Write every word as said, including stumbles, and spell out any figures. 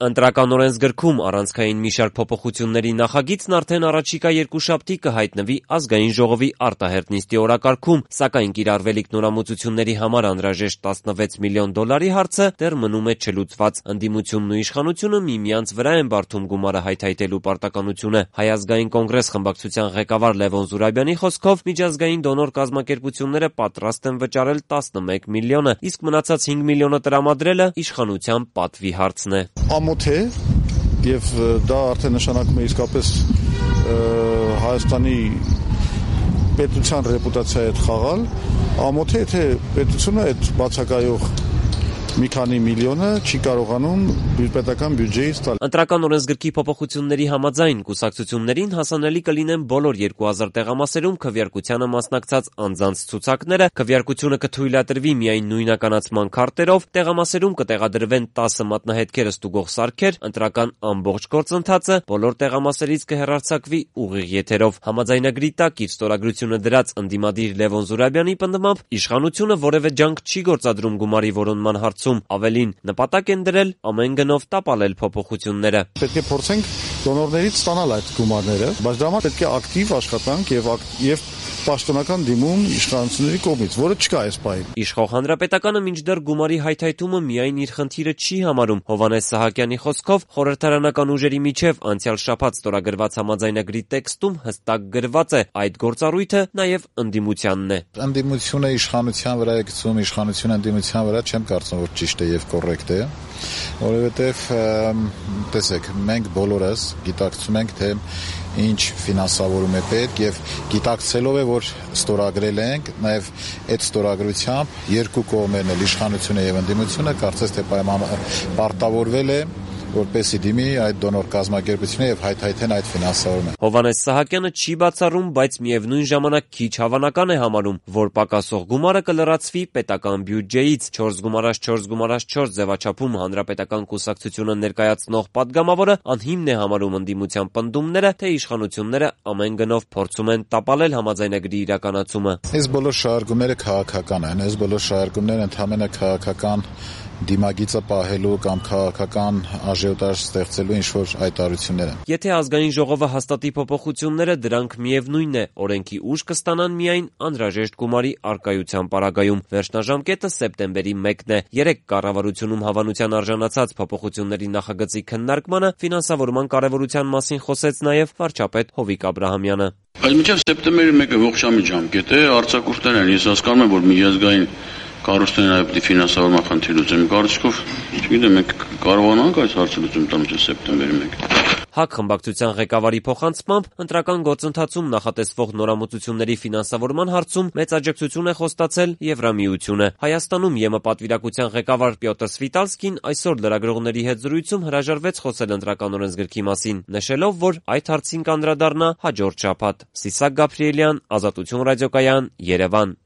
Ընտրական օրենսգրքում առանցքային մի շարք փոփոխությունների նախագիծն արդեն առաջիկա երկուշաբթի կհայտնվի Ազգային ժողովի արտահերթ նիստի օրակարգում, սակայն կիրառվելիք նորամուծությունների համար անհրաժեշտ տասնվեց միլիոն դոլարի հարցը դեռ մնում է չլուծված։ Ընդդիմությունն ու իշխանությունը միմյանց վրա են բարդում գումարը հայթայթելու պարտականությունը։ Հայ ազգային կոնգրես խմբակցության ղեկավար Լևոն Զուրաբյանի խոսքով միջազգային դոնոր կազմակերպությունները պատրաստ են վճարել տասնմեկ միլիոնը, իսկ մնացած հինգ միլիոնը տրամադրելը իշխանության պատվի հարցն է։ Ամոթ է եւ դա արդեն նշանակում է իսկապես Հայաստանի պետության ռեպուտացիայի հետ խաղալ։ Ամոթ է, թե պետությունը այդ բացակայող մի քանի միլիոնը չի կարողանում պետական բյուջեից տալ։ Ընտրական օրենսգրքի փոփոխությունների համաձայն կուսակցություններին հասանելի կլինեն բոլոր երկու հազար տեղամասերում քվեարկությանը մասնակցած անձանց ցուցակները, քվեարկությունը կթույլատրվի միայն նույնականացման քարտերով, տեղամասերում կտեղադրվեն տասը մատնահետքերը ստուգող սարքեր, ընտրական ամբողջ գործընթացը բոլոր տեղամասերից կհեռարձակվի ուղիղ եթերով։ Համաձայնագրի տակ իր ստորագրությունը դրած ընդդիմադիր Լևոն Զուրաբյանի պնդմամբ իշխանությունը որևէ ջանք չի գործադրում գումարի որոնման հարցում, ավելին նպատակ են դրել ամեն գնով տապալել փոփոխությունները։ Պետք է փորձենք դոնորներից ստանալ այդ գումարները, բայց դա համար պետք է ակտիվ աշխատանք եւ եւ պաշտոնական դիմում իշխանությունների կողմից, որը չկա այս պահին։ Իշխող Հանրապետականը մինչդեռ գումարի հայթայթումը միայն իր խնդիրը չի համարում։ Հովհաննես Սահակյանի խոսքով խորհրդարանական ուժերի միջև անցյալ շաբաթ ստորագրված համաձայնագրի տեքստում հստակ գրված է այդ գործառույթը նաև ընդդիմությանն է։ Ընդդիմությունը իշխանության վրա է գցում, իշխանությունը ընդդիմության վրա չեմ կարծում, որ ճիշտ է եւ կոռեկտ է, որովհետեւ տեսեք, մենք բոլորս գիտակցում ենք, թե ինչ ֆինանսավորում է պետք եւ գիտակցելով է, որ ստորագրել ենք, նաեւ այդ ստորագրությամբ երկու կողմերն էլ իշխանությունը եւ ընդդիմությունը կարծես թե պարտավորվել է որպեսի դիմի այդ դոնոր կազմակերպությունը եւ հայթայթեն այդ ֆինանսավորումը։ Հովհաննես Սահակյանը չի բացառում, բայց միևնույն ժամանակ քիչ հավանական է համարում, որ պակասող գումարը կլրացվի պետական բյուջեից։ չորս գումարած չորս գումարած չորս ձևաչափում հանրապետական կուսակցությունը ներկայացնող падգամավորը անհիմն է համարում ընդդիմության պնդումները, թե իշխանությունները ամեն գնով փորձում են տապալել համաձայնագրի իրականացումը։ Այս բոլոր շարժումները քաղաքական են, այս բոլոր շարժումները ընդհանրապես քաղաքական դիմագիծը պահելու կամ քաղաքական աժիոտաժ ստեղծելու ինչ-որ հայտարարություններ են։ Եթե ազգային ժողովը հաստատի փոփոխությունները, դրանք միևնույնն է, օրենքի ուժ կստանան միայն անհրաժեշտ գումարի առկայության պարագայում։ Վերջնաժամկետը սեպտեմբերի մեկն է։ Երեկ կառավարությունում հավանության արժանացած փոփոխությունների նախագծի քննարկմանը ֆինանսավորման կարևորության մասին խոսեց նաև վարչապետ Հովիկ Աբրահամյանը։ Բայց մինչև սեպտեմբերի մեկը ողջամիտ ժամկետ է, արձակուրդներ են, ես հասկանում եմ, որ միջազգային կառույցներն այլ պիտի ֆինանսավորման խնդիր լուծեն։ Կարծիքով, չգիտեմ, մենք կարողանանք այս հարցը լուծում տալ մինչև սեպտեմբերի մեկը։ ՀԱԿ խմբակցության ղեկավարի փոխանցմամբ ընտրական գործընթացում նախատեսվող նորամուծությունների ֆինանսավորման հարցում մեծ աջակցություն է խոստացել Եվրամիությունը։ Հայաստանում ԵՄ պատվիրակության ղեկավար Պյոտր Սվիտալսկին այսօր լրագրողների հետ զրույցում հրաժարվեց խոսել ընտրական օրենսգրքի մասին, նշելով, որ այդ հարցին կանդրադառնա հաջորդ շաբաթ։ Սիսակ Գաբրիելյան, Ազատություն ռադիոկայան, Երևան։